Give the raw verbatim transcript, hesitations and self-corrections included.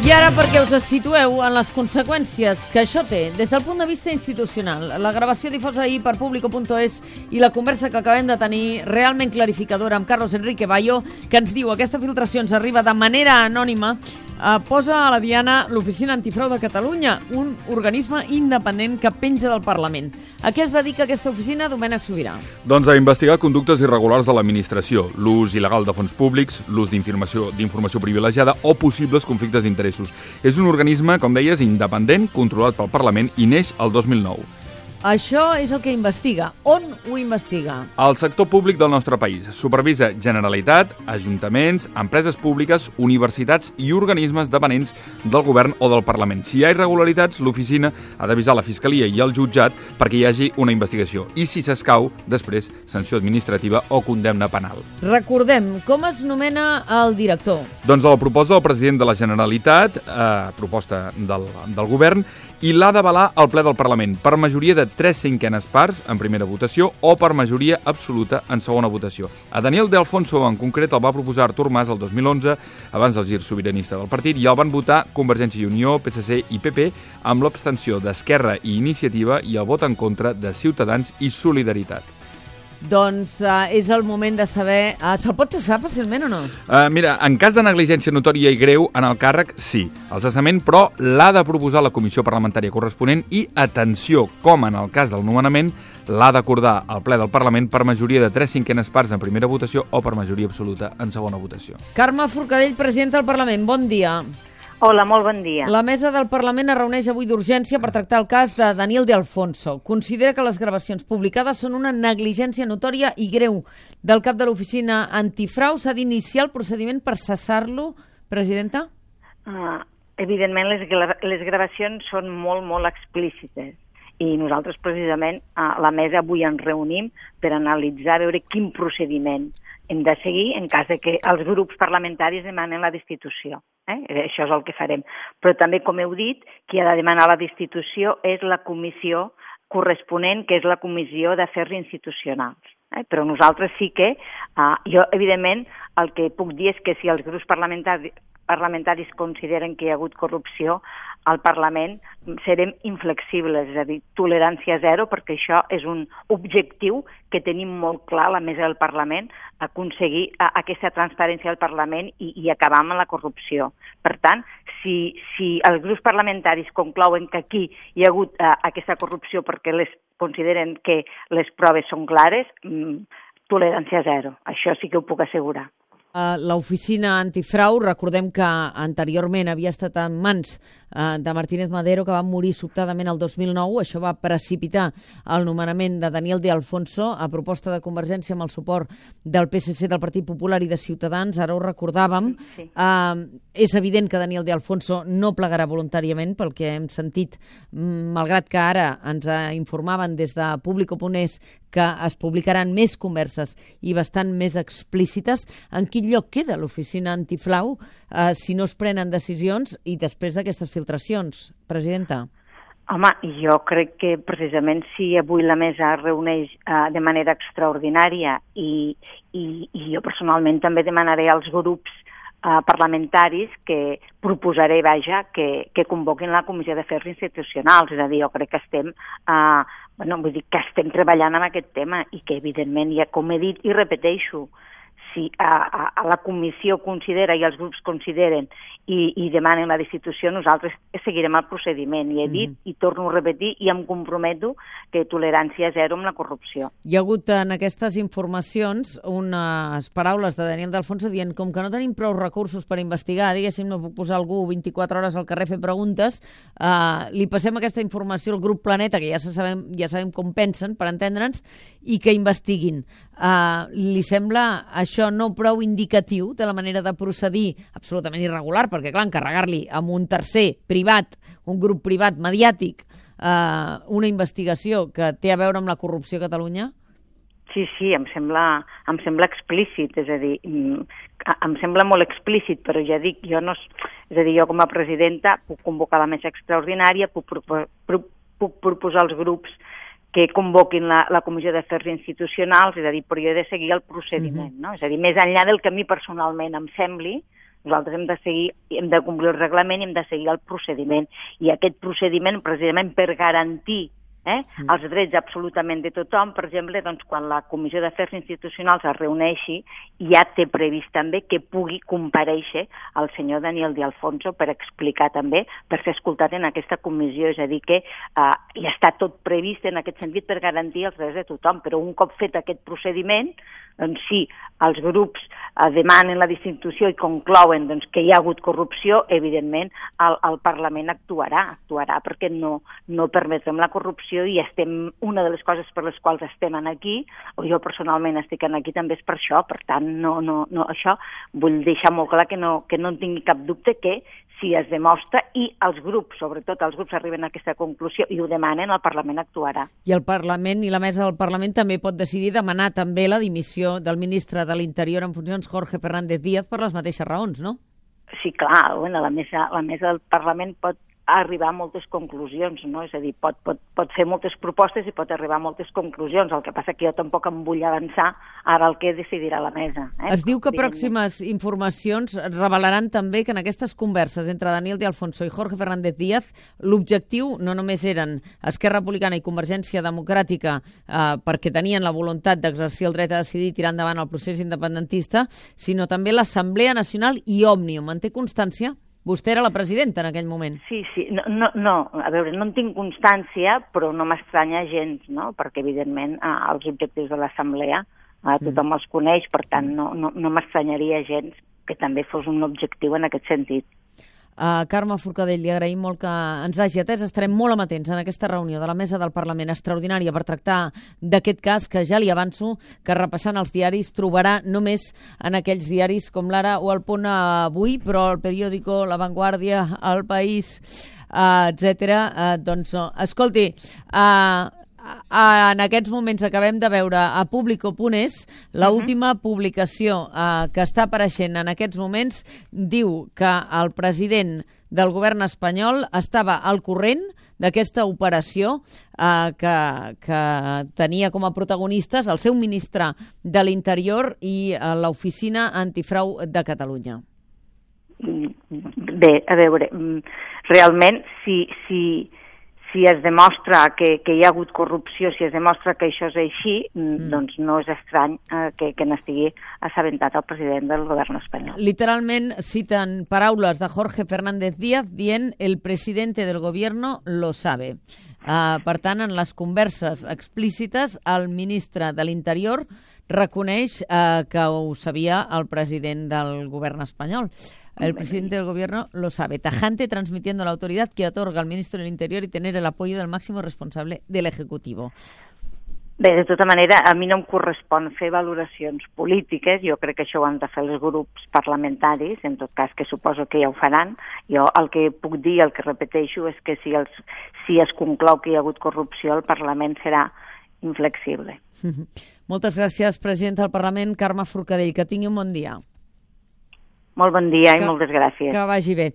I ara perquè us situeu en les conseqüències que això té des del punt de vista institucional. La gravació difosa ahir per Público punto es i la conversa que acabem de tenir realment clarificadora amb Carlos Enrique Bayo, que ens diu que aquesta filtració ens arriba de manera anònima, eh, posa a la diana l'Oficina Antifrau de Catalunya, un organisme independent que penja del Parlament. A què es dedica aquesta oficina, Domènec Sobirà? Doncs a investigar conductes irregulars de l'administració, l'ús il·legal de fons públics, l'ús d'informació d'informació privilegiada o possibles conflictes d'interessos. És un organisme, com deies, independent, controlat pel Parlament i neix el dos mil nou. Això és el que investiga. On ho investiga? El sector públic del nostre país. Supervisa Generalitat, ajuntaments, empreses públiques, universitats i organismes dependents del govern o del Parlament. Si hi ha irregularitats, l'oficina ha d'avisar la Fiscalia i el jutjat perquè hi hagi una investigació. I si s'escau, després, sanció administrativa o condemna penal. Recordem, com es nomena el director? Doncs el proposa el president de la Generalitat, a proposta del, del govern, i l'ha d'avalar el ple del Parlament per majoria de tres cinquenes parts en primera votació o per majoria absoluta en segona votació. A Daniel de Alfonso, en concret, el va proposar Artur Mas el dos mil onze, abans del gir sobiranista del partit, i el van votar Convergència i Unió, P S C i P P, amb l'abstenció d'Esquerra i Iniciativa i el vot en contra de Ciutadans i Solidaritat. Doncs uh, és el moment de saber... Uh, Se'l pot cessar fàcilment o no? Uh, mira, en cas de negligència notòria i greu en el càrrec, sí. El cessament, però, l'ha de proposar la comissió parlamentària corresponent i, atenció, com en el cas del nomenament, l'ha d'acordar el ple del Parlament per majoria de tres cinquenes parts en primera votació o per majoria absoluta en segona votació. Carme Forcadell, presidenta del Parlament, bon dia. Hola, molt bon dia. La mesa del Parlament es reuneix avui d'urgència per tractar el cas de Daniel de Alfonso. Considera que les gravacions publicades són una negligència notòria i greu. Del cap de l'oficina antifrau s'ha d'iniciar el procediment per cessar-lo, presidenta? Uh, evidentment, les, les gravacions són molt, molt explícites. I nosaltres, precisament, a la mesa avui ens reunim per analitzar, veure quin procediment hem de seguir en cas de que els grups parlamentaris demanen la destitució. Eh? Això és el que farem. Però també, com heu dit, qui ha de demanar la destitució és la comissió corresponent, que és la Comissió d'Afers Institucionals. Eh? Però nosaltres sí que, eh, jo, evidentment, el que puc dir és que si els grups parlamentaris parlamentaris consideren que hi ha hagut corrupció al Parlament, serem inflexibles, és a dir, tolerància zero, perquè això és un objectiu que tenim molt clar a la mesa del Parlament, aconseguir aquesta transparència del Parlament i, i acabar amb la corrupció. Per tant, si, si els grups parlamentaris conclouen que aquí hi ha hagut uh, aquesta corrupció perquè les consideren que les proves són clares, mm, tolerància zero. Això sí que ho puc assegurar. Uh, L'oficina antifrau, recordem que anteriorment havia estat en mans uh, de Martínez Madero, que va morir sobtadament el dos mil nou. Això va precipitar el nomenament de Daniel de Alfonso a proposta de Convergència amb el suport del P S C, del Partit Popular i de Ciutadans. Ara ho recordàvem. Sí. Uh, és evident que Daniel de Alfonso no plegarà voluntàriament, pel que hem sentit, malgrat que ara ens informaven des de Público punt es que es publicaran més converses i bastant més explícites. En quin lloc queda l'oficina antifrau eh, si no es prenen decisions i després d'aquestes filtracions, presidenta? Home, jo crec que precisament si avui la mesa es reuneix eh, de manera extraordinària i, i, i jo personalment també demanaré als grups eh, parlamentaris que proposaré, vaja, que, que convoquin la Comissió d'Afers Institucionals. És a dir, jo crec que estem... Eh, Bueno, vull dir que estem treballant amb aquest tema i que, evidentment, ja com he dit i repeteixo, si a, a, a la comissió considera i els grups consideren i, i demanen la destitució, nosaltres seguirem el procediment. I he dit, mm-hmm. i torno a repetir, i em comprometo que tolerància zero amb la corrupció. Hi ha hagut en aquestes informacions unes paraules de Daniel de Alfonso dient com que no tenim prou recursos per investigar, diguéssim, no puc posar algú vint-i-quatre hores al carrer a fer preguntes, eh, li passem aquesta informació al grup Planeta, que ja sabem, ja sabem com pensen, per entendre'ns, i que investiguin. Uh, li sembla això no prou indicatiu de la manera de procedir absolutament irregular, perquè clar, encarregar-li amb un tercer privat, un grup privat mediàtic, uh, una investigació que té a veure amb la corrupció a Catalunya? Sí, sí, em sembla, em sembla explícit, és a dir, em sembla molt explícit, però ja dic, jo no, és a dir, jo com a presidenta puc convocar la mesa extraordinària, puc, puc, puc proposar als grups que convoquin la, la Comissió d'Afers Institucionals, és a dir, però jo he de seguir el procediment, no? És a dir, més enllà del que a mi personalment em sembli, Nosaltres hem de seguir, hem de complir el reglament i hem de seguir el procediment. I aquest procediment, precisament per garantir Eh? Mm. els drets absolutament de tothom, per exemple, doncs, quan la Comissió d'Afers Institucionals es reuneixi, ja té previst també que pugui comparèixer el senyor Daniel de Alfonso per explicar també, per ser escoltat en aquesta comissió, és a dir que eh, ja està tot previst en aquest sentit per garantir els drets de tothom, però un cop fet aquest procediment, doncs sí, els grups eh, demanen la destitució i conclouen doncs, que hi ha hagut corrupció, evidentment el, el Parlament actuarà, actuarà perquè no, no permetrem la corrupció i estem, una de les coses per les quals estem aquí, o jo personalment estic aquí també és per això, per tant, no, no, no, això vull deixar molt clar que no, que no en tingui cap dubte que si es demostra i els grups, sobretot els grups arriben a aquesta conclusió i ho demanen, el Parlament actuarà. I el Parlament i la mesa del Parlament també pot decidir demanar també la dimissió del ministre de l'Interior en funcions, Jorge Fernández Díaz, per les mateixes raons, no? Sí, clar, bueno, la mesa, la mesa del Parlament pot arribar a moltes conclusions, no? És a dir, pot, pot, pot fer moltes propostes i pot arribar a moltes conclusions. El que passa que jo tampoc em vull avançar ara el que decidirà la mesa. Eh? Es diu que pròximes informacions revelaran també que en aquestes converses entre Daniel de Alfonso i Jorge Fernández Díaz l'objectiu no només eren Esquerra Republicana i Convergència Democràtica eh, perquè tenien la voluntat d'exercir el dret a decidir i tirar endavant el procés independentista, sinó també l'Assemblea Nacional i Òmnium. En té constància? Vostè era la presidenta en aquell moment. Sí, sí. No, no, no, a veure, no en tinc constància, però no m'estranya gens, no? Perquè, evidentment, eh, els objectius de l'Assemblea eh, tothom els coneix, per tant, no, no, no m'estranyaria gens que també fos un objectiu en aquest sentit. Uh, Carme Forcadell, li agraïm molt que ens hagi atès. Estarem molt amatents en aquesta reunió de la Mesa del Parlament extraordinària per tractar d'aquest cas que ja li avanço que repassant els diaris trobarà només en aquells diaris com l'Ara o el Punt Avui, però el Periódico, La Vanguardia, El País, uh, etcètera. Uh, doncs, no. Escolti, uh, en aquests moments acabem de veure a Público punt es l'última publicació eh, que està apareixent en aquests moments diu que el president del govern espanyol estava al corrent d'aquesta operació eh, que, que tenia com a protagonistes el seu ministre de l'Interior i eh, l'Oficina Antifrau de Catalunya. Bé, a veure, realment, si... si... si es demostra que, que hi ha hagut corrupció, si es demostra que això és així, mm. doncs no és estrany eh, que, que n'estigui assabentat el president del govern espanyol. Literalment citen paraules de Jorge Fernández Díaz dient el presidente del gobierno lo sabe. Uh, per tant, en les converses explícites, el ministre de l'Interior reconeix uh, que ho sabia el president del govern espanyol. El presidente del gobierno lo sabe, tajante transmitiendo a la autoridad que otorga al ministro del Interior y tener el apoyo del máximo responsable del Ejecutivo. Bé, de tota manera, a mi no em correspon fer valoracions polítiques, jo crec que això ho han de fer els grups parlamentaris, en tot cas que suposo que ja ho faran. Jo el que puc dir, el que repeteixo, és que si, els, si es conclou que hi ha hagut corrupció, el Parlament serà inflexible. Moltes gràcies, presidenta del Parlament, Carme Forcadell. Que tingui un bon dia. Molt bon dia i moltes gràcies. Que vagi bé.